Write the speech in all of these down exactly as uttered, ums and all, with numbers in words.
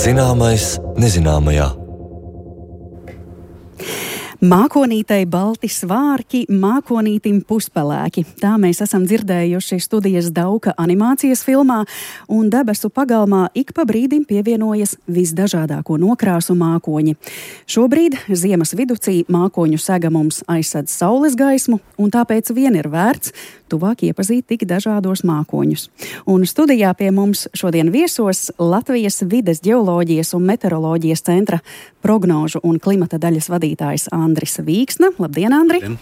Zināmais nezināmajā. Mākonītei balti svārki, mākonītim puspelēki. Tā mēs esam dzirdējuši studijas Dauka animācijas filmā, un debesu pagalmā ik pa brīdim pievienojas visdažādāko nokrāsu mākoņi. Šobrīd ziemas viducī mākoņu sega mums aizsedz saules gaismu, un tāpēc vien ir vērts tuvāk iepazīt tik dažādos mākoņus. Un studijā pie mums šodien viesos Latvijas vides ģeoloģijas un meteoroloģijas centra prognožu un klimata daļas vadītājs Andris Vīksna. Labdien, Andri! Labdien.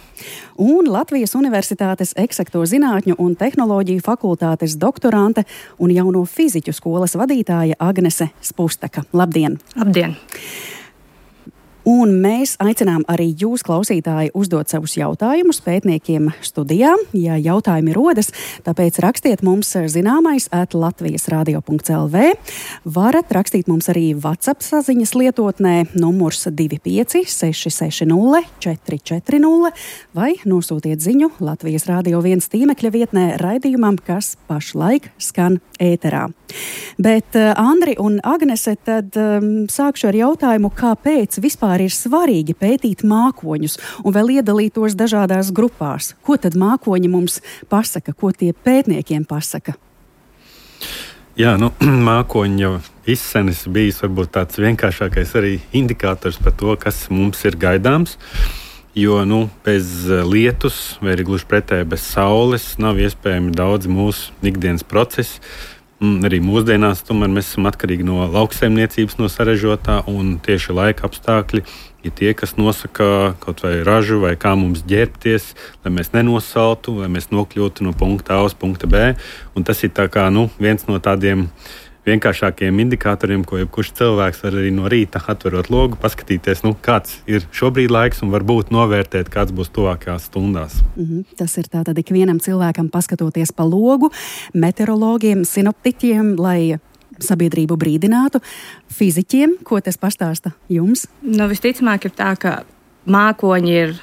Un Latvijas Universitātes eksakto zinātņu un tehnoloģiju fakultātes doktorante un jauno fiziķu skolas vadītāja Agnese Spustaka. Labdien! Labdien! Un mēs aicinām arī jūs, klausītāji, uzdot savus jautājumus pētniekiem studijā, ja jautājumi rodas, tāpēc rakstiet mums zināmais at latvijas radio punkts el vē. Varat rakstīt mums arī WhatsApp saziņas lietotnē numurs divi pieci seši seši nulle četri četri nulle vai nosūtiet ziņu Latvijas Radio viens tīmekļa vietnē raidījumam, kas pašlaik skan ēterā. Bet, Andri un Agnese, tad um, sākšu ar jautājumu, kāpēc vispār ir svarīgi pētīt mākoņus un vēl iedalīt tos dažādās grupās. Ko tad mākoņi mums pasaka, ko tie pētniekiem pasaka? Jā, nu, mākoņi jau izsenis bijis varbūt tāds vienkāršākais arī indikators par to, kas mums ir gaidāms. Jo nu, bez lietus, vai arī gluži pretēji bez saules, nav iespējami daudz mūsu ikdienas procesi. Arī mūsdienās tomēr mēs esam atkarīgi no lauksaimniecības, no sarežotā, un tieši laika apstākļi ir tie, kas nosaka kaut vai ražu vai kā mums ģērbties, lai mēs nenosaltu, lai mēs nokļūtu no punkta A uz punkta B. Un tas ir tā kā, nu, viens no tādiem vienkāršākiem indikatoriem, ko jebkurš cilvēks var arī no rīta atverot logu, paskatīties, nu, kāds ir šobrīd laiks un varbūt novērtēt, kāds būs tuvākajās stundās. Mm-hmm. Tas ir tātad ikvienam cilvēkam paskatoties pa logu, meteorologiem, sinoptiķiem, lai sabiedrību brīdinātu, fiziķiem, ko tas pastāsta jums? Nu, visticamāk ir tā, ka mākoņi ir,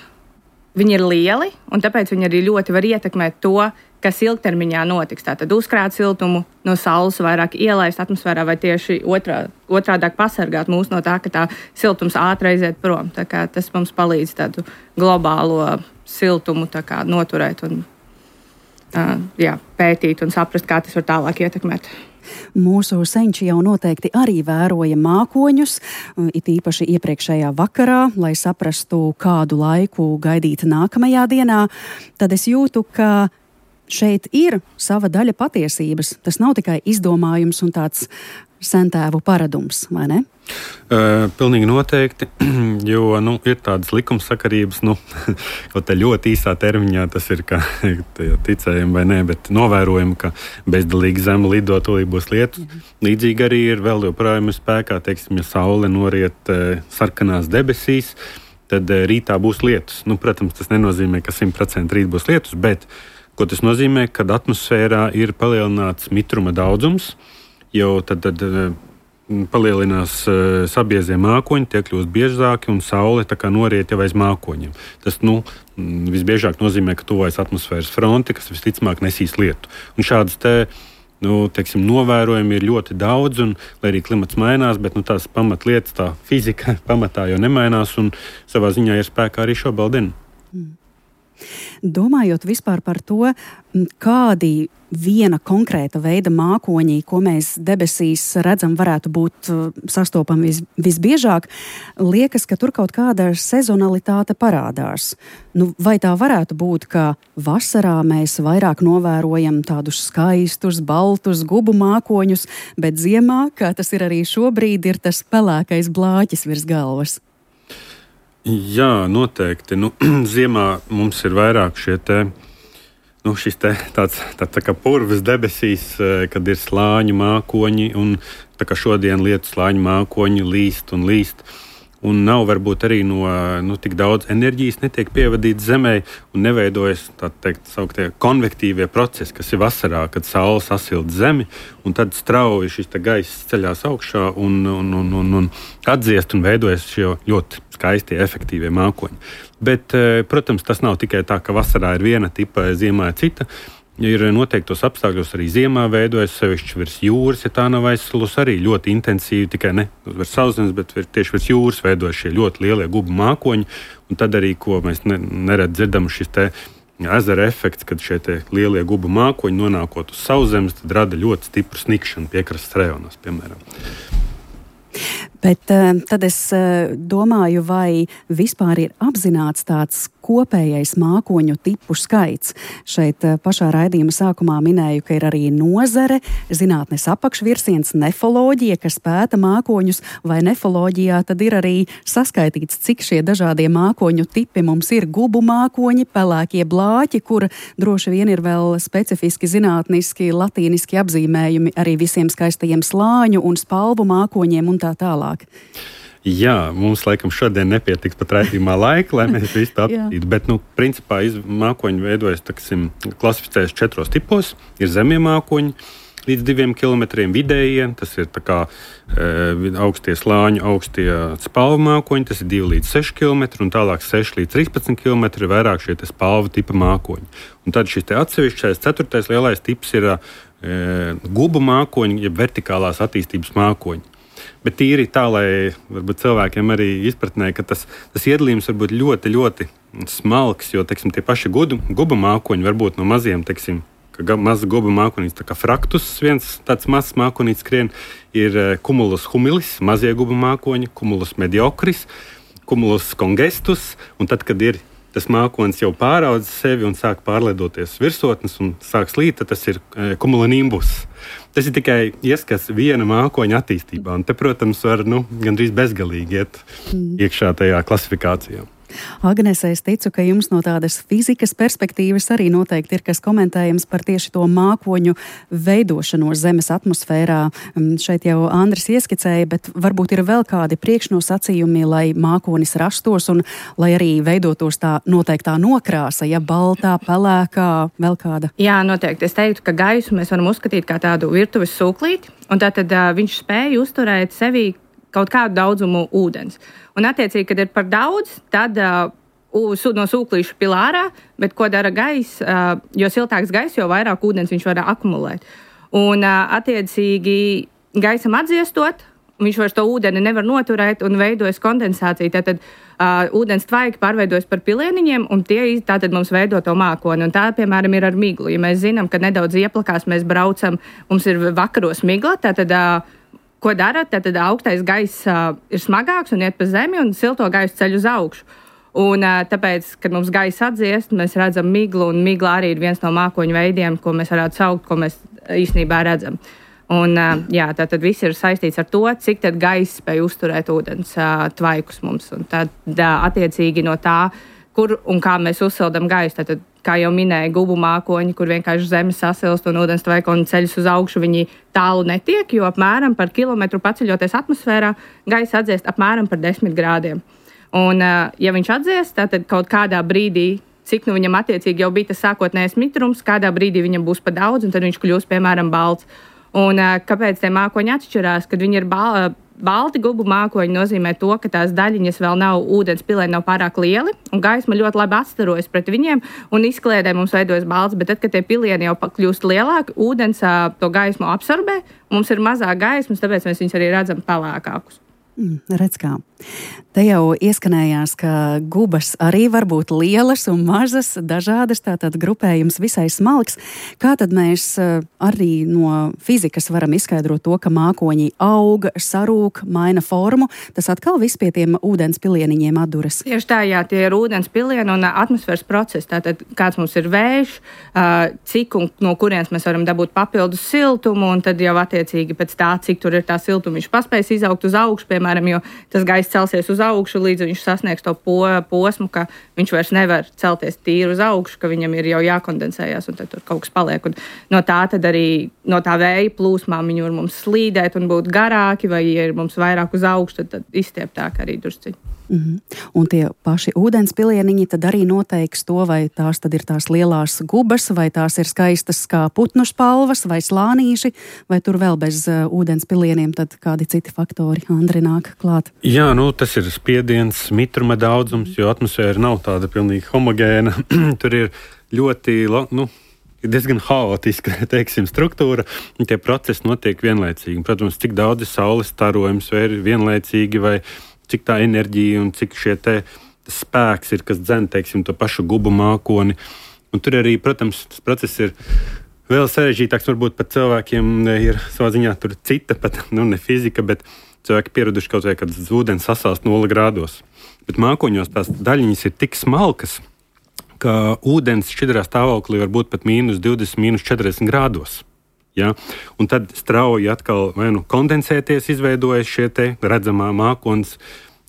viņi ir lieli, un tāpēc viņi arī ļoti var ietekmēt to, kas ilgtermiņā notiks. Tātad uzkrāt siltumu no saules, vairāk ielaist atmosfērā vai tieši otrā, otrādāk pasargāt mūs no tā, ka tā siltums ātri aiziet prom. Tā kā tas mums palīdz tādu globālo siltumu tā kā noturēt un uh, jā, pētīt un saprast, kā tas var tālāk ietekmēt. Mūsu senči jau noteikti arī vēroja mākoņus, it īpaši iepriekšējā vakarā, lai saprastu, kādu laiku gaidīt nākamajā dienā. Tad es jūtu, ka šeit ir sava daļa patiesības. Tas nav tikai izdomājums un tāds sentēvu paradums, vai ne? Uh, pilnīgi noteikti, jo nu, ir tādas likumsakarības, nu, kaut tā ļoti īsā termiņā tas ir, ka ticējam vai nē, bet novērojam, ka bezdalīgi zeme lido, tūlīt būs lietus. Līdzīgi arī ir vēl joprojām spēkā, teiksim, ja saule noriet uh, sarkanās debesīs, tad uh, rītā būs lietus. Nu, protams, tas nenozīmē, ka simt procenti rīt būs lietus, bet ko tas nozīmē, kad atmosfērā ir palielināts mitruma daudzums, jau tad, tad palielinās sabiezie mākoņi, tie kļūst biežāki un saule tā kā noriet jau aiz mākoņiem. Tas nu, visbiežāk nozīmē, ka tuvojas atmosfēras fronte, kas visticamāk nesīs lietu. Un šādas te, nu, teiksim, novērojumi ir ļoti daudz, un lai arī klimats mainās, bet nu, tās pamatlietas, tā fizika pamatā jau nemainās, un savā ziņā ir spēkā arī šobrīd. Mm. Domājot vispār par to, kādi viena konkrēta veida mākoņi, ko mēs debesīs redzam, varētu būt sastopami vis, visbiežāk, liekas, ka tur kaut kāda sezonalitāte parādās. Nu, vai tā varētu būt, ka vasarā mēs vairāk novērojam tādus skaistus, baltus gubu mākoņus, bet ziemā, kā tas ir arī šobrīd, ir tas pelēkais blāķis virs galvas? Jā, noteikti. Nu, ziemā mums ir vairāk šie te, nu, šis te tāds tā, tā kā purvas debesīs, kad ir slāņu mākoņi, un tā kā šodien lietu slāņu mākoņi līst un līst. Un nav varbūt arī no nu, tik daudz enerģijas netiek pievadīts zemē un neveidojas tā teikt sauktie konvektīvie procesi, kas ir vasarā, kad saule sasilda zemi, un tad strauji šis gaiss ceļās augšā un, un, un, un, un atdziest un veidojas šie ļoti skaistie, efektīvie mākoņi. Bet, protams, tas nav tikai tā, ka vasarā ir viena tipa, ziemā ir cita. ir noteiktos apstākļos arī ziemā veidojas, sevišķi virs jūras, ja tā nav aizsalus, arī ļoti intensīvi, tikai ne virs sauszemes, bet tieši virs jūras veidojas šie ļoti lielie gubu mākoņi, un tad arī, ko mēs ne, nerad dzirdam, šis te ezera efekts, kad šie te lielie gubu mākoņi nonākot uz sauszemes, tad rada ļoti stipru snikšanu piekrastes rajonos, piemēram. Bet tad es domāju, vai vispār ir apzināts tāds kopējais mākoņu tipu skaits. Šeit pašā raidījuma sākumā minēju, ka ir arī nozare, zinātnes apakšvirsiens, nefoloģija, kas pēta mākoņus, vai nefoloģijā tad ir arī saskaitīts, cik šie dažādie mākoņu tipi mums ir gubu mākoņi, pelēkie blāķi, kur droši vien ir vēl specifiski zinātniski, latīniski apzīmējumi arī visiem skaistajiem slāņu un spalvu mākoņiem un tā tālāk. Jā, mums laikam šodien nepietiks pat raidījumā laika, lai mēs visu tā apskatītu, bet, nu, principā iz, mākoņi veidojas, taksim, klasificējas četros tipos. Ir zemie mākoņi līdz diviem kilometriem, vidējie, tas ir tā kā e, augstie slāņu, augstie spalvu mākoņi, tas ir divi līdz seši kilometri, un tālāk seši līdz trīspadsmit kilometri vairāk šie te spalvu tipa mākoņi. Un tad šis te atsevišķais ceturtais lielais tips ir e, gubu mākoņi, jeb vertikālās attīstības mākoņi. Bet tīri tā, lai varbūt cilvēkiem arī izpratnē, ka tas, tas iedalījums var būt ļoti, ļoti smalks, jo, teiksim, tie paši gudu, guba mākoņi varbūt no maziem, teiksim, ka maza guba mākonīts, tā kā fraktus, viens tāds mazs mākonīts skrien, ir cumulus humilis, mazie guba mākoņi, cumulus mediocris, cumulus congestus, un tad, kad ir tas mākonis jau pāraudz sevi un sāk pārlidoties virsotnes un sāk slīt, tad tas ir e, cumulonimbus. Tas ir tikai ieskats viena mākoņa attīstībā, un te, protams, var nu, gandrīz bezgalīgi iet mm. iekšā tajā klasifikācijā. Agnese, es ticu, ka jums no tādas fizikas perspektīvas arī noteikti ir kas komentējams par tieši to mākoņu veidošanos Zemes atmosfērā. Šeit jau Andris ieskicēja, bet varbūt ir vēl kādi priekšnosacījumi, lai mākonis rastos un lai arī veidotos tā noteiktā nokrāsa, ja baltā, pelēkā, vēl kāda. Jā, noteikti. Es teiktu, ka gaisu mēs varam uzskatīt kā tādu virtuves sūklīti, un tātad uh, viņš spēja uzturēt sevī kaut kādu daudzumu ūdens. Un, attiecīgi, kad ir par daudz, tad uh, no sūklīša pilārā, bet ko dara gaiss, uh, jo siltāks gaiss, jo vairāk ūdens viņš var akumulēt. Un, uh, attiecīgi, gaisam atdziestot, viņš vairs to ūdeni nevar noturēt un veidojas kondensācija. Tātad uh, ūdens tvaiki pārveidojas par pilieniņiem, un tie tātad mums veido to mākoni. Un tā, piemēram, ir ar miglu. Ja mēs zinām, ka nedaudz ieplakās mēs braucam, mums ir vakaros migla, tātad uh, ko dara? Tad augstais gaiss uh, ir smagāks un iet pa zemi, un silto gaisu ceļ uz augšu. Un, uh, tāpēc, kad mums gaiss atdziest, mēs redzam miglu, un migla arī ir viens no mākoņu veidiem, ko mēs varētu saukt, ko mēs īstenībā redzam. Un, uh, jā, tātad viss ir saistīts ar to, cik tad gaiss spēj uzturēt ūdens uh, tvaikus mums. Un tad, uh, attiecīgi no tā, kur un kā mēs uzsildam gaisu, tātad, kā jau minēja, gubu mākoņi, kur vienkārši zeme sasilst un ūdens tvaika un ceļas uz augšu, viņi tālu netiek, jo apmēram par kilometru paceļoties atmosfērā, gaisa atdziest apmēram par desmit grādiem. Un, ja viņš atdziest, tad kaut kādā brīdī, cik nu viņam attiecīgi jau bija tas sākotnējais mitrums, kādā brīdī viņam būs pa daudz, un tad viņš kļūs, piemēram, balts. Un kāpēc tie mākoņi atšķirās, kad viņi ir balti? Balti gubu mākoņi nozīmē to, ka tās daļiņas vēl nav, ūdens pilēni nav pārāk lieli, un gaisma ļoti labi atstarojas pret viņiem, un izkliedē mums veidojas balts, bet tad, kad tie pilieni jau kļūst lielāki, ūdens to gaismu absorbē, mums ir mazāk gaismas, tāpēc mēs viņus arī redzam pelēkākus. Mm, redz kā. Te jau ieskanējās, ka gubas arī var būt lielas un mazas, dažādas, tātad grupējums visai smalks. Kā tad mēs arī no fizikas varam izskaidrot to, ka mākoņi aug, sarūk, maina formu? Tas atkal viss pie tiem ūdens pilieniņiem atduras. Tieši tā, jā, tie ir ūdens pilieni un atmosfēras procesi. Tātad kāds mums ir vējš, cik un no kurienes mēs varam dabūt papildus siltumu, un tad jau attiecīgi pēc tā, cik tur ir tā siltuma, viņš paspējas izaugt uz augšu, piemēram, jo tas gaiss celsies uz augšu, līdz viņš sasniegs to po, posmu, ka viņš vairs nevar celties tīri uz augšu, ka viņam ir jau jākondensējās, un tad tur kaut kas paliek. Un no tā tad arī, no tā vēja plūsmām viņi var mums slīdēt un būt garāki, vai ja ir mums vairāk uz augšu, tad, tad izstieptāk arī drusciņi. Mm-hmm. Un tie paši ūdens pilieniņi tad arī noteiks to, vai tās tad ir tās lielās gubas, vai tās ir skaistas kā putnu spalvas, vai slānīši, vai tur vēl bez uh, ūdens pilieniem tad kādi citi faktori, Andri, nāk klāt? Jā, nu tas ir spiediens, mitruma daudzums, jo atmosfēra nav tāda pilnīgi homogēna. Tur ir ļoti, nu, ir diezgan haotiska, teiksim, struktūra, un tie procesi notiek vienlaicīgi. Protams, cik daudz ir saules starojums, vai ir vienlaicīgi, vai cik tā enerģija un cik šie te spēks ir, kas dzen, teiksim, to pašu gubu mākoni. Un tur arī, protams, tas process ir vēl sarežģītāks, varbūt pat cilvēkiem ir savā ziņā tur cita, pat, nu, ne fizika, bet cilvēki pieraduši kaut vai, kad ūdens sasalst nulle grādos. Bet mākoņos tās daļiņas ir tik smalkas, ka ūdens šķidrā stāvoklī var būt pat mīnus divdesmit, mīnus četrdesmit grādos. Ja? Un tad strauji atkal vai nu kondensēties, izveidojas šie te redzamā mākonis,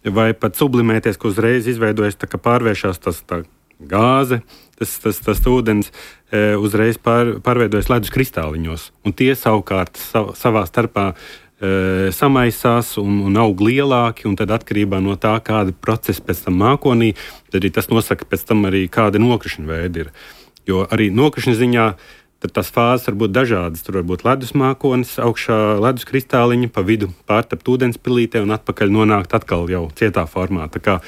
vai pat sublimēties, ka uzreiz izveidojas tā, ka pārvēršās tas tā gāze, tas, tas, tas ūdens e, uzreiz pār, pārveidojas ledus kristāliņos. Un tie savukārt sav, savā starpā e, samaisās un, un aug lielāki, un tad atkarībā no tā, kāda procesa pēc tam mākonī, tad arī tas nosaka pēc tam arī kāda nokrišņa veida ir. Jo arī nokrišņa ziņā tad tās fāzes var būt dažādas. Tur var būt ledus mākonis, augšā ledus kristāliņa, pa vidu pārtapt ūdenspilītē un atpakaļ nonākt atkal jau cietā formā. Tā kā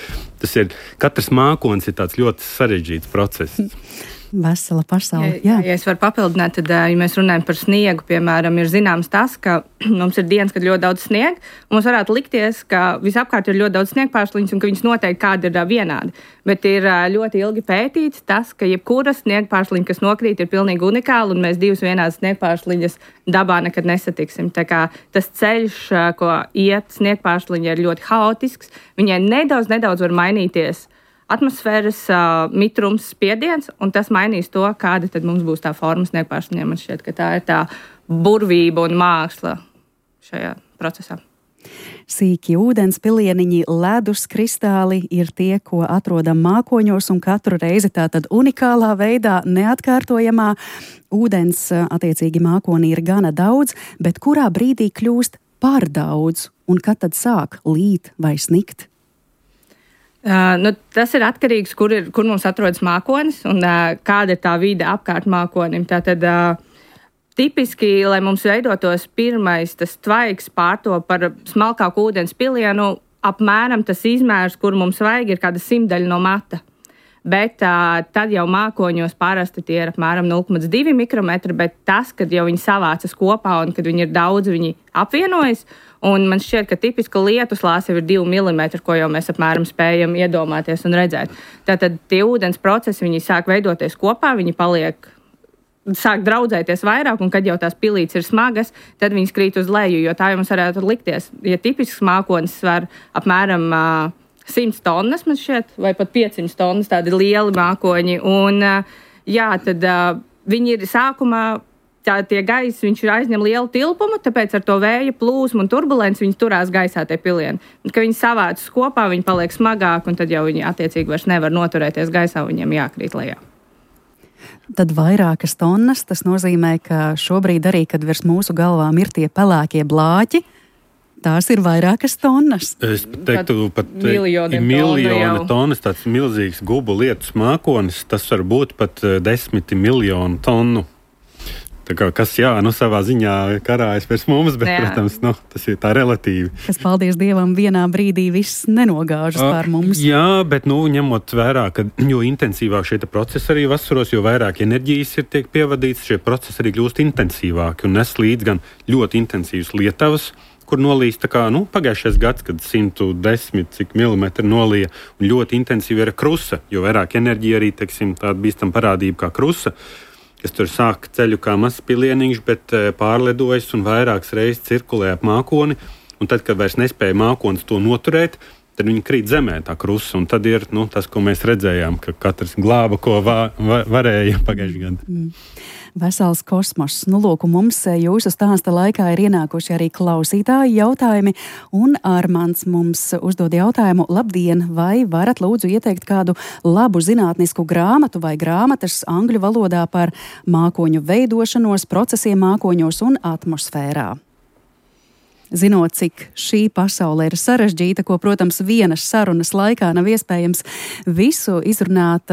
tas ir, katrs mākonis ir tāds ļoti sarežģīts process. Vesela pasaule. Jā, jā, ja es varu papildināt, tad, ja mēs runājam par sniegu, piemēram, ir zināms tas, ka mums ir dienas, kad ļoti daudz sniega, un mums varētu likties, ka visapkārt ir ļoti daudz sniegpārsliņas un ka viņas noteikti kādi ir vienādi. Bet ir ļoti ilgi pētīts tas, ka jebkura sniegpārsliņa, kas nokrīt, ir pilnīgi unikāla, un mēs divas vienādas sniegpārsliņas dabā nekad nesatiksim. Tā kā tas ceļš, ko iet sniegpārsliņa, ir ļoti haotisks. Viņai nedaudz, nedaudz var mainīties atmosfēras uh, mitrums, spiediens, un tas mainīs to, kāda tad mums būs tā forma sniegpārsliņiem. Man šķiet, ka tā ir tā burvība un māksla šajā procesā. Sīki ūdens pilieniņi, ledus kristāli ir tie, ko atrodam mākoņos, un katru reizi tātad unikālā veidā, neatkārtojamā. Ūdens attiecīgi mākonī ir gana daudz, bet kurā brīdī kļūst par daudz, un kad tad sāk līt vai snikt? Uh, nu, tas ir atkarīgs, kur, ir, kur mums atrodas mākonis un uh, kāda ir tā vide apkārt mākonim. Tātad uh, tipiski, lai mums veidotos pirmais tas tvaiks pārto par smalkāku ūdens pilienu, apmēram tas izmērs, kur mums vajag, ir kāda simtdaļa no mata. Bet uh, tad jau mākoņos parasti tie ir apmēram nulle komats divi mikrometri, bet tas, kad jau viņi savācas kopā un kad viņi ir daudz, viņi apvienojas. Un man šķiet, ka tipiska lietuslāse ir divi milimetri, ko jau mēs apmēram spējam iedomāties un redzēt. Tātad tie ūdens procesi, viņi sāk veidoties kopā, viņi paliek, sāk draudzēties vairāk, un kad jau tās pilītes ir smagas, tad viņas krīt uz leju, jo tā jau mums varētu likties. Ja tipisks mākonis svar apmēram uh, simts tonnas, man šķiet, vai pat piecsimt tonnas, tādi lieli mākoņi, un uh, jā, tad uh, viņi ir sākumā, tā tie gaisi, viņš aizņem lielu tilpumu, tāpēc ar to vēja plūsmu un turbulenci viņi turās gaisā tie pilieni. Un, kad viņi savācas kopā, viņi paliek smagāk, un tad jau viņi attiecīgi vairs nevar noturēties gaisā, viņiem jākrīt lejā. Tad vairākas tonnas, tas nozīmē, ka šobrīd arī, kad virs mūsu galvām ir tie pelēkie blāķi, tās ir vairākas tonnas. Es teiktu, pat miljoni tonnas, tāds milzīgs gubu lietus mākonis, tas var būt pat desmit miljonu tonu. Tā kā, kas, jā, nu, savā ziņā karājas pēc mums, bet, jā. Protams, nu, tas ir tā relatīvi. Kas, paldies Dievam, vienā brīdī viss nenogāžas pār mums. Jā, bet, nu, ņemot vērā, ka jo intensīvāk šie procesi arī vasaros, jo vairāk enerģijas ir tiek pievadīts, šie procesi arī kļūst intensīvāki un nes līdz gan ļoti intensīvas lietavas, kur nolīs tā kā, nu, pagājušais gads, kad simt desmit cik milimetri nolīja, un ļoti intensīvi ir krusa, jo vairāk enerģija arī, teiksim, tāda bīstam parādība kā krusa, kas tur sāk ceļu kā mazs pilieniņš, bet pārlidojas un vairākas reizes cirkulē ap mākoni, un tad, kad vairs nespēja mākonis to noturēt, tad viņi krīt zemē tā krusa, un tad ir, nu, tas, ko mēs redzējām, ka katrs glāba, ko vā, va, varēja pagājušajā gadā. Mm. Vesels kosmos. Nu, lūk, mums jūsu stāsta laikā ir ienākuši arī klausītāji jautājumi, un Armands mums uzdod jautājumu: labdien, vai varat lūdzu ieteikt kādu labu zinātnisku grāmatu vai grāmatas angļu valodā par mākoņu veidošanos, procesiem mākoņos un atmosfērā? Zinot, cik šī pasaule ir sarežģīta, ko, protams, vienas sarunas laikā nav iespējams visu izrunāt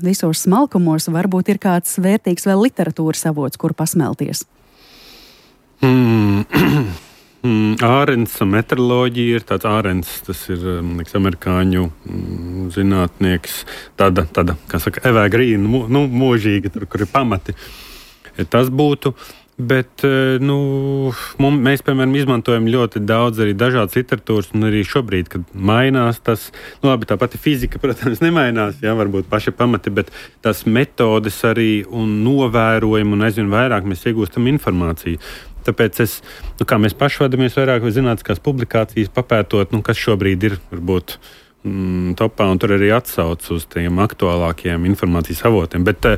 visos smalkumos, varbūt ir kāds vērtīgs vēl literatūras avots, kur pasmelties. Mm. Ārens meteoroloģija ir tāds Ārens, tas ir liks, amerikāņu mm, zinātnieks, tāda, tāda, kā saka, Eva Grīna, nu, mūžīga, tur, kur ir pamati. tas būtu. Bet nu, mums, mēs, piemēram, izmantojam ļoti daudz arī dažādas literatūras, un arī šobrīd, kad mainās tas, nu labi, tā pati fizika, protams, nemainās, jā, varbūt paši pamati, bet tās metodes arī un novērojumi, un aizvien vairāk mēs iegūstam informāciju. Tāpēc es, nu, kā mēs paši vadamies vairāk zinātniskās publikācijas papētot, nu, kas šobrīd ir, varbūt, mm, topā, un tur arī atsauc uz tiem aktuālākajiem informācijas avotiem. Bet,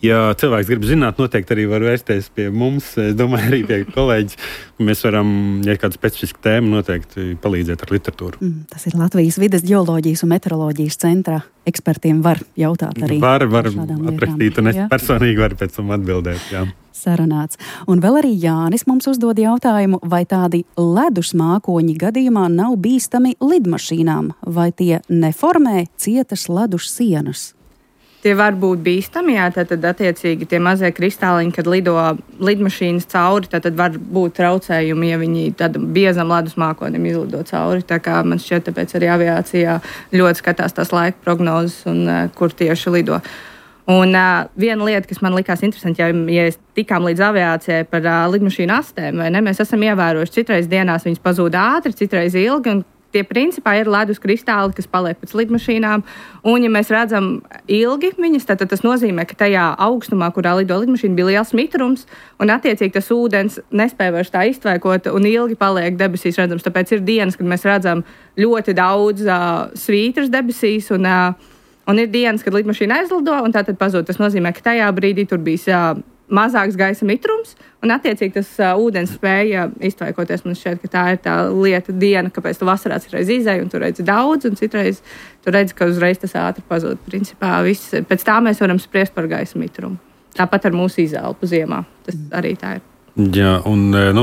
ja cilvēks grib zināt, noteikti arī var vērsties pie mums, es domāju, arī pie kolēģis. Mēs varam, ja kāda specifiska tēma, noteikti palīdzēt ar literatūru. Mm, tas ir Latvijas vides ģeoloģijas un meteoroloģijas centra ekspertiem var jautāt arī. Var, var atrakstīt, un es jā. personīgi varu pēc tam atbildēt, jā. Sarunāts. Un vēl arī Jānis mums uzdod jautājumu, vai tādi ledus mākoņi gadījumā nav bīstami lidmašīnām, vai tie neformē cietas ledus sienas? Tie var būt bīstami, jā, tad attiecīgi tie mazie kristāliņi, kad lido lidmašīnas cauri, tad var būt traucējumi, ja viņi tad biezam ledus mākonim izlido cauri. Tā kā man šķiet, tāpēc arī aviācijā ļoti skatās tās laika prognozes un uh, kur tieši lido. Un uh, viena lieta, kas man likās interesanti, ja, ja tikām līdz aviācijai par uh, lidmašīnu astēm, vai ne, mēs esam ievērojuši, citreiz dienās viņas pazūd ātri, citreiz ilgi, un tie principā ir ledus kristāli, kas paliek pēc lidmašīnām. Un, ja mēs redzam ilgi viņas, tad, tad tas nozīmē, ka tajā augstumā, kurā lido lidmašīna, bija liels mitrums, un attiecīgi tas ūdens nespēja vairs tā iztvēkot, un ilgi paliek debesīs redzams. Tāpēc ir dienas, kad mēs redzam ļoti daudz uh, svītras debesīs, un, uh, un ir dienas, kad lidmašīna aizlido, un tā tad pazūd. Tas nozīmē, ka tajā brīdī tur bija uh, mazāks gaisa mitrums, un attiecīgi tas uh, ūdens spēja iztvaikoties. Man šķiet, ka tā ir tā lieta diena, kāpēc tu vasarā citreiz izēji, un tu redzi daudz, un citreiz tu redzi, ka uzreiz tas ātri pazūd. Principā viss, pēc tā mēs varam spriest par gaisa mitrumu. Tāpat ar mūsu izelpu ziemā. Tas arī tā ir. Jā, un nu,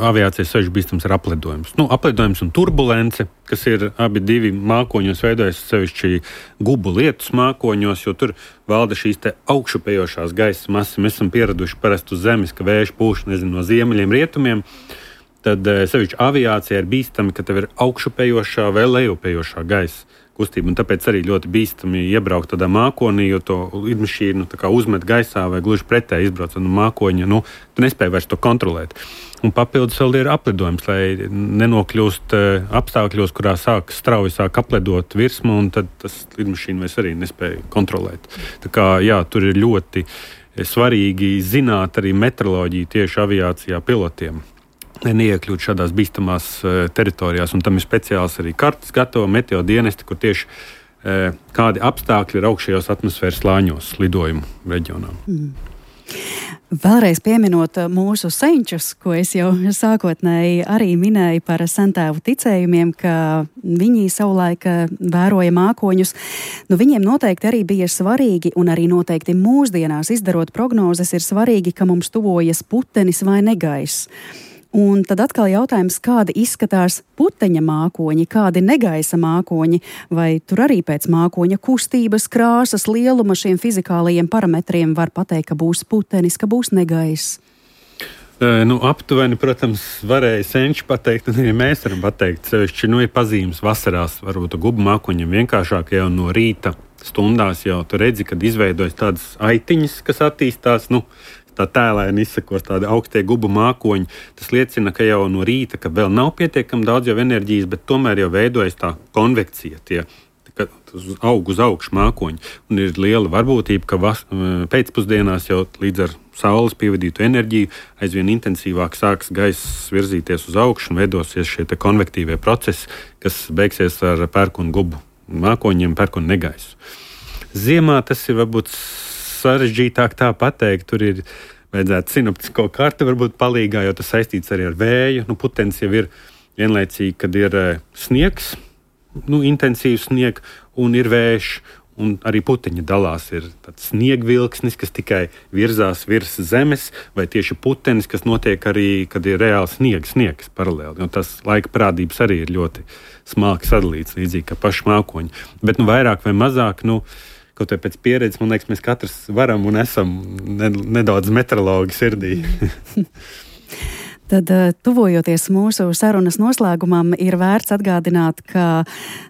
aviācijas sevišķi bīstams ir aplidojums. Nu, aplidojums un turbulence, kas ir abi divi mākoņos veidojas sevišķi gubu lietus mākoņos, jo tur valda šīs te augšupējošās gaisa masas. Mēs esam pieraduši parasti uz zemes, ka vējš pūš, nezinu, no ziemeļiem, rietumiem. Tad sevišķi aviācija ir bīstami, ka tev ir augšupējošā vai lejupējošā gaisa kustība, un tāpēc arī ļoti bīstami iebraukt tādā mākonī, jo to lidmašīnu uzmet gaisā vai gluži pretēji izbraucot no mākoņa, nu, tu nespēji vairs to kontrolēt. Un papildus vēl ir aplidojums, lai nenokļūst apstākļos, kurā sāk strauji sāk aplidot virsmu, un tad tas lidmašīna vairs arī nespēja kontrolēt. Tā kā, jā, tur ir ļoti svarīgi zināt arī meteoroloģiju tieši aviācijā pilotiem. Neiekļūt šādās bīstamās uh, teritorijās, un tam ir speciāls arī kartes gatavo meteo dienesti, kur tieši uh, kādi apstākļi ir augšējos atmosfēras slāņos lidojumu reģionā. Mm. Vēlreiz pieminot mūsu senčus, ko es jau sākotnēji arī minēju par sentēvu ticējumiem, ka viņi savulaik vēroja mākoņus. Nu, viņiem noteikti arī bija svarīgi, un arī noteikti mūsdienās izdarot prognozes, ir svarīgi, ka mums tuvojas putenis vai negaiss. Un tad atkal jautājums, kādi izskatās puteņa mākoņi, kādi negaisa mākoņi, vai tur arī pēc mākoņa kustības, krāsas, lieluma šiem fizikālajiem parametriem var pateikt, ka būs putenis, ka būs negaiss? E, nu, aptuveni, protams, varēja senči pateikt, un arī mēs varam pateikt. Sevišķi, nu, ir pazīmes vasarās, varbūt gubu mākoņiem vienkāršāk jau no rīta stundās jau tu redzi, kad izveidojas tādas aitiņas, kas attīstās, nu, tā tēlēni izsakos tādi augstie gubu mākoņi. Tas liecina, ka jau no rīta, ka vēl nav pietiekami daudz jau enerģijas, bet tomēr jau veidojas tā konvekcija, tie aug uz augšu mākoņi. Un ir liela varbūtība, ka vas, pēcpusdienās jau līdz ar saules pievadītu enerģiju aizvien intensīvāk sāks gaiss virzīties uz augšu un veidosies šie te konvektīvie procesi, kas beigsies ar pērkonu gubu mākoņiem, pērkonu negaisu. Ziemā tas ir varbūt sarežģītāk tā pateikt, tur ir vajadzētu sinoptisko karti varbūt palīgā, jo tas saistīts arī ar vēju. Nu, putenis jau ir vienlaicīgi, kad ir sniegs, nu, intensīvs sniegs, un ir vējš, un arī puteņi dalās. Ir tāds sniegvilksnis, kas tikai virzās virs zemes, vai tieši putenis, kas notiek arī, kad ir reāli sniegs, sniegs paralēli. Jo tas laika parādības arī ir ļoti smalki sadalīts, līdzīgi kā paši mākoņi. Bet nu, vairāk vai mazāk, nu, kaut vai pēc pieredzes, man liekas, mēs katrs varam un esam nedaudz meteorologi sirdī. Tad, tuvojoties mūsu sarunas noslēgumam, ir vērts atgādināt, ka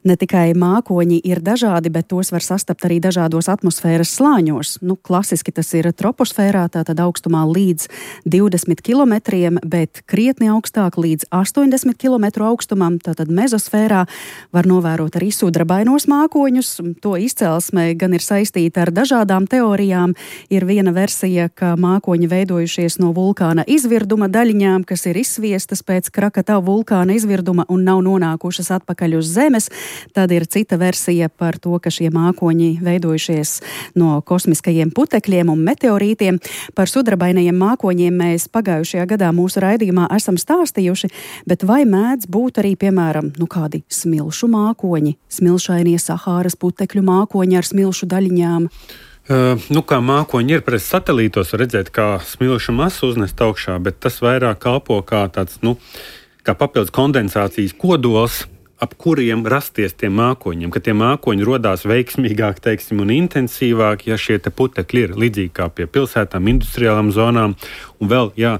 ne tikai mākoņi ir dažādi, bet tos var sastapt arī dažādos atmosfēras slāņos. Nu, klasiski tas ir troposfērā, tātad augstumā līdz divdesmit kilometriem, bet krietni augstāk līdz astoņdesmit kilometru augstumam, tātad mezosfērā var novērot arī sudrabainos mākoņus. To izcelsme gan ir saistīta ar dažādām teorijām. Ir viena versija, ka mākoņi veidojušies no vulkāna izvirduma daļiņām, kas ir izsviestas pēc Krakatau vulkāna izvirduma un nav nonākušas atpakaļ uz Zemes. Tad ir cita versija par to, ka šie mākoņi veidojušies no kosmiskajiem putekļiem un meteorītiem. Par sudrabainajiem mākoņiem mēs pagājušajā gadā mūsu raidījumā esam stāstījuši, bet vai mēdz būt arī, piemēram, nu kādi smilšu mākoņi, smilšainie Sahāras putekļu mākoņi ar smilšu daļiņām? Uh, nu, kā mākoņi ir pret satelītos, var redzēt, kā smilšu masu uznest augšā, bet tas vairāk kalpo kā tāds, nu, kā papildus kondensācijas kodols, ap kuriem rasties tiem mākoņiem, ka tie mākoņi rodās veiksmīgāk, teiksim, un intensīvāk, ja šie te putekļi ir līdzīgi kā pie pilsētām, industriālām zonām, un vēl, jā,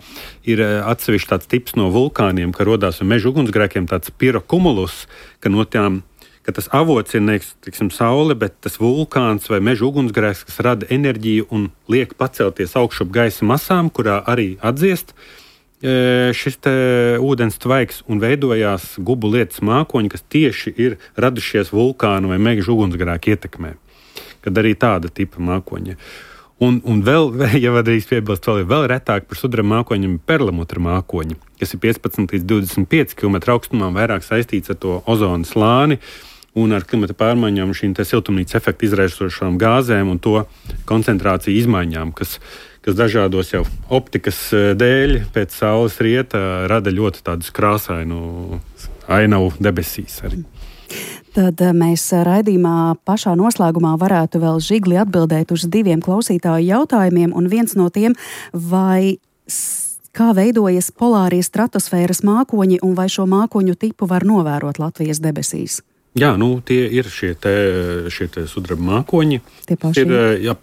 ir atsevišķi tāds tips no vulkāniem, ka rodās ar meža ugunsgrēkiem tāds pirokumulus, ka no tām ka tas avots ir nevis, tiksim, saule, bet tas vulkāns vai meža ugunsgrēks, kas rada enerģiju un liek pacelties augšup gaisa masām, kurā arī atdziest e, šis te ūdens tvaiks un veidojās gubu lietas mākoņi, kas tieši ir radušies vulkānu vai meža ugunsgrēku ietekmē. Kad arī tāda tipa mākoņi. Un, un vēl, ja vadīs piebilst, vēl ir vēl retāk par sudraba mākoņiem perlamutra mākoņi, kas ir piecpadsmit līdz divdesmit pieci kilometri augstumā, vairāk saistīts ar to ozona slāni un ar klimata pārmaiņām, šīm te siltumnīcas efektu izraisošām gāzēm un to koncentrāciju izmaiņām, kas, kas dažādos jau optikas dēļ pēc saules rieta rada ļoti tādus krāsainu ainavu debesīs arī. Tad mēs raidījumā pašā noslēgumā varētu vēl žigli atbildēt uz diviem klausītāju jautājumiem, un viens no tiem, vai kā veidojas polārie stratosfēras mākoņi un vai šo mākoņu tipu var novērot Latvijas debesīs? Jā, nu tie ir šie te, šie te sudraba mākoņi. Tie paši? Ir, jā,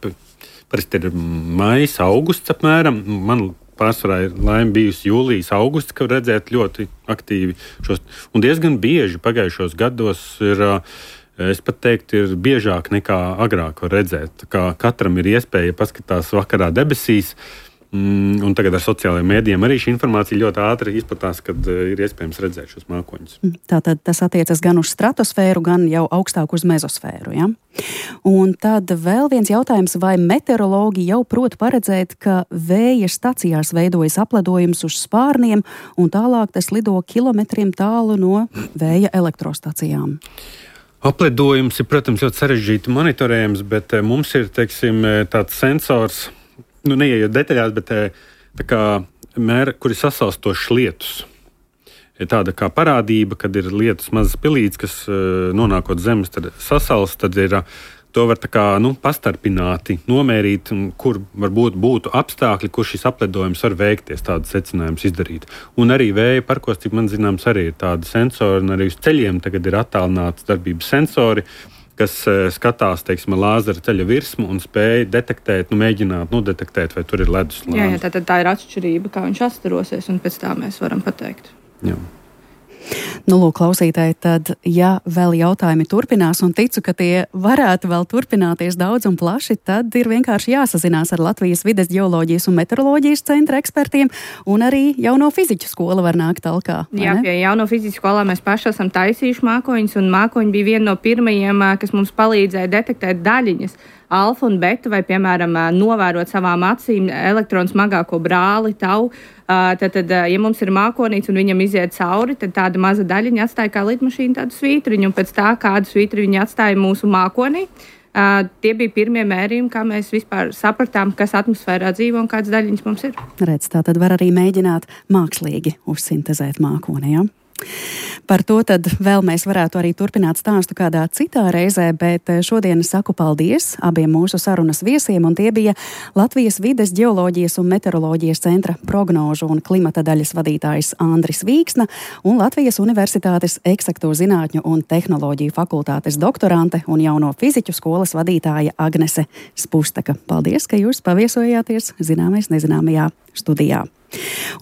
parasti ir maijs, augusts apmēram. Man pārsvarā ir laime bijusi jūlijas, augusts, ka redzēt ļoti aktīvi šos. Un diezgan bieži pagājušos gados ir, es pat teiktu, ir biežāk nekā agrāk var redzēt. Kā katram ir iespēja paskatās vakarā debesīs, un tagad ar sociālajiem mēdījiem arī šī informācija ļoti ātri izplatās, kad ir iespējams redzēt šos mākoņus. Tātad tas attiecas gan uz stratosfēru, gan jau augstāk uz mezosfēru, ja? Un tad vēl viens jautājums, vai meteorologi jau prot paredzēt, ka vēja stacijās veidojas apledojums uz spārniem, un tālāk tas lido kilometriem tālu no vēja elektrostacijām? Apledojums ir, protams, ļoti sarežģīti monitorējams, bet mums ir, teiksim, tāds sensors, nu, neiejot detaļās, bet tā kā mēra, kuri sasalstošas lietus. Ir tāda kā parādība, kad ir lietus mazas pilītes, kas nonākot zemes, tad sasals, tad ir, to var tā kā, nu, pastarpināti nomērīt, kur varbūt būtu apstākļi, kur šis apledojums var veikties, tādas secinājumus izdarīt. Un arī vēja parkos, cik man zināms, arī ir tādi sensori, un arī uz ceļiem tagad ir attālināts darbības sensori, kas skatās, teiksim, lāzera ceļa virsmu un spēja detektēt, nu, mēģināt nodetektēt, vai tur ir ledus slānis. Jā, jā, tā, tā ir atšķirība, kā viņš astarosies, un pēc tā mēs varam pateikt. Jā. Nu, lūk, klausītāji, tad, ja vēl jautājumi turpinās, un ticu, ka tie varētu vēl turpināties daudz un plaši, tad ir vienkārši jāsazinās ar Latvijas vides ģeoloģijas un meteoroloģijas centra ekspertiem, un arī jauno fiziķu skola var nākt talkā. Jā, pie jauno fiziķu skolā mēs paši esam taisījuši mākoņus, un mākoņi bija viena no pirmajiem, kas mums palīdzēja detektēt daļiņas, alfa un beta, vai, piemēram, novērot savām acīm elektronu smagāko brāli, tau. Tad, tad, ja mums ir mākonīts un viņam iziet cauri, tad tāda maza daļiņa atstāja kā lidmašīna tādu svītriņu, un pēc tā, kādu svītri viņi atstāja mūsu mākonī, tie bija pirmie mērījumi, kā mēs vispār sapratām, kas atmosfērā dzīvo un kādas daļiņas mums ir. Redz, tā tad var arī mēģināt mākslīgi uzsintezēt mākoni, ja? Par to tad vēl mēs varētu arī turpināt stāstu kādā citā reizē, bet šodien saku paldies abiem mūsu sarunas viesiem, un tie bija Latvijas vides ģeoloģijas un meteoroloģijas centra prognožu un klimata daļas vadītājs Andris Vīksna un Latvijas Universitātes eksakto zinātņu un tehnoloģiju fakultātes doktorante un jauno fiziķu skolas vadītāja Agnese Spustaka. Paldies, ka jūs paviesojāties Zināmais nezināmajā studijā.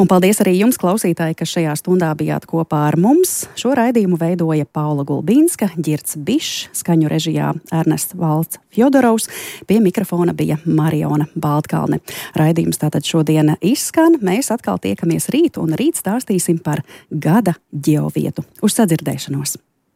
Un paldies arī jums, klausītāji, kas šajā stundā bijāt kopā ar mums. Šo raidījumu veidoja Paula Gulbīnska, Ģirds Bišs, skaņu režijā Ernests Valts Fjodorovs, pie mikrofona bija Mariona Baltkalne. Raidījums tātad šodien izskan, mēs atkal tiekamies rīt, un rīt stāstīsim par gada ģeovietu. Uz sadzirdēšanos!